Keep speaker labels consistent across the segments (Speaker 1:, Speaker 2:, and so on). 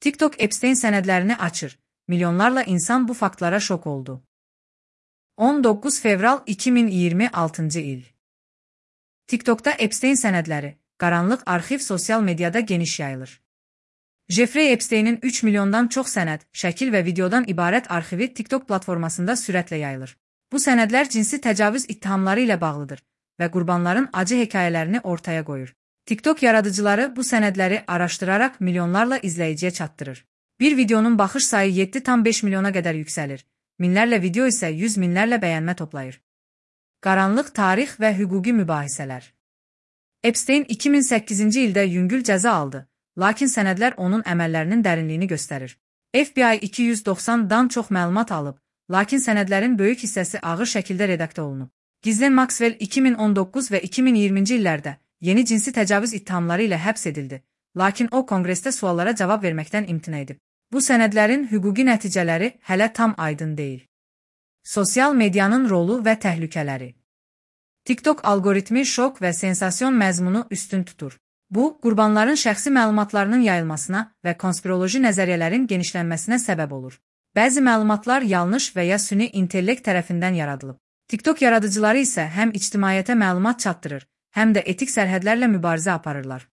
Speaker 1: TikTok Epstein sənədlərini açır. Milyonlarla insan bu faktlara şok oldu. 19 fevral 2026 il. TikTokda Epstein sənədləri, qaranlıq arxiv sosial mediada geniş yayılır. Jeffrey Epstein'in 3 milyondan çox sənəd, şəkil və videodan ibarət arxivi TikTok platformasında sürətlə yayılır. Bu sənədlər cinsi təcavüz ittihamları ilə bağlıdır və qurbanların acı hekayələrini ortaya qoyur. TikTok yaradıcıları bu sənədləri araşdıraraq milyonlarla izləyiciyə çatdırır. Bir videonun baxış sayı 7,5 milyona qədər yüksəlir. Minlərlə video isə 100 minlərlə bəyənmə toplayır. Qaranlıq tarix və hüquqi mübahisələr. Epstein 2008-ci ildə yüngül cəza aldı, lakin sənədlər onun əməllərinin dərinliyini göstərir. FBI 290-dan çox məlumat alıb, lakin sənədlərin böyük hissəsi ağır şəkildə redaktə olunub. Ghislaine Maxwell 2019 və 2020-ci illərdə yeni cinsi təcavüz ittihamları ilə həbs edildi, lakin o konqresdə suallara cavab verməkdən imtina edib. Bu sənədlərin hüquqi nəticələri hələ tam aydın deyil. Sosial medianın rolu və təhlükələri. TikTok algoritmi şok və sensasiyon məzmunu üstün tutur. Bu, qurbanların şəxsi məlumatlarının yayılmasına və konspiroloji nəzəriyyələrin genişlənməsinə səbəb olur. Bəzi məlumatlar yanlış və ya süni intellekt tərəfindən yaradılıb. TikTok yaradıcıları isə həm ictimaiyyətə məlumat çatdırır, həm də etik sərhədlərlə mübarizə aparırlar.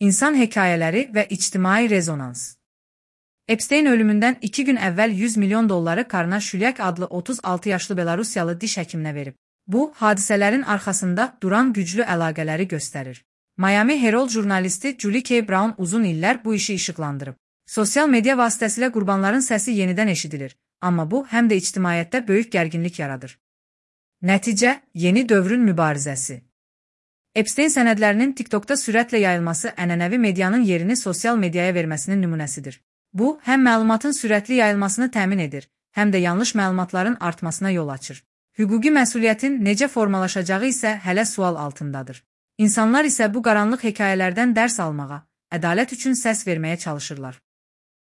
Speaker 1: İnsan hekayələri və ictimai rezonans. Epstein ölümündən 2 gün əvvəl 100 milyon dolları Karna Şulyak adlı 36 yaşlı Belarusiyalı diş həkiminə verib. Bu, hadisələrin arxasında duran güclü əlaqələri göstərir. Miami Herald jurnalisti Julie K. Brown uzun illər bu işi işıqlandırıb. Sosial media vasitəsilə qurbanların səsi yenidən eşidilir, amma bu, həm də ictimaiyyətdə böyük gərginlik yaradır. Nəticə, yeni dövrün mübarizəsi. Epstein sənədlərinin TikTokda sürətlə yayılması ənənəvi medianın yerini sosial mediaya verməsinin nümunəsidir. Bu, həm məlumatın sürətli yayılmasını təmin edir, həm də yanlış məlumatların artmasına yol açır. Hüquqi məsuliyyətin necə formalaşacağı isə hələ sual altındadır. İnsanlar isə bu qaranlıq hekayələrdən dərs almağa, ədalət üçün səs verməyə çalışırlar.